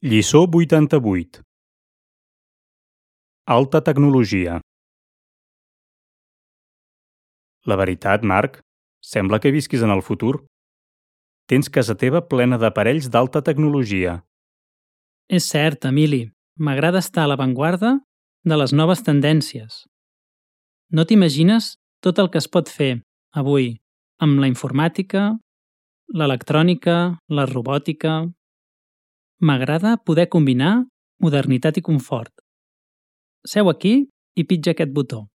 Lliçó 88. Alta tecnologia. La veritat, Marc, sembla que visquis en el futur. Tens casa teva plena d'aparells d'alta tecnologia. És cert, Emili. M'agrada estar a l'avantguarda de les noves tendències. No t'imagines tot el que es pot fer avui amb la informàtica, l'electrònica, la robòtica... M'agrada poder combinar modernitat i confort. Seu aquí i pitja aquest botó.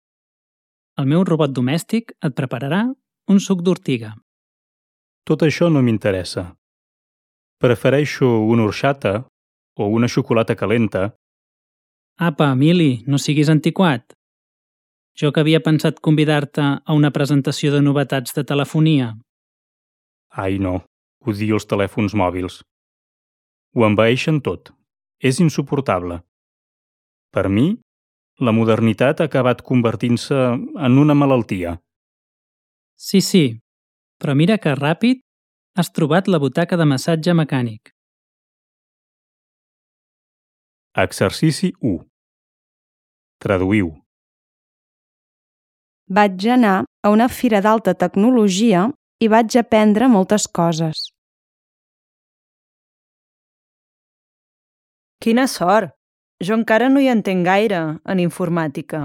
El meu robot domèstic et prepararà un suc d'ortiga. Tot això no m'interessa. Prefereixo una orxata o una xocolata calenta. Apa, Emili, no siguis antiquat. Jo que havia pensat convidar-te a una presentació de novetats de telefonia. Ai, no. Odio els telèfons mòbils. Ho envaeixen tot. És insuportable. Per mi, la modernitat ha acabat convertint-se en una malaltia. Sí, però mira que ràpid has trobat la butaca de massatge mecànic. Exercici 1. Traduïu. Vaig anar a una fira d'alta tecnologia i vaig aprendre moltes coses. Quina sort! Jo encara no hi entenc gaire, en informàtica.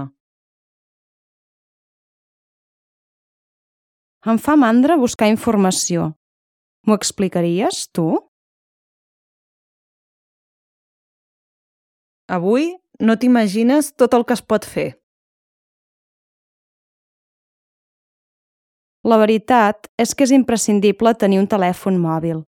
Em fa mandra buscar informació. M'ho explicaries, tu? Avui no t'imagines tot el que es pot fer. La veritat és que és imprescindible tenir un telèfon mòbil.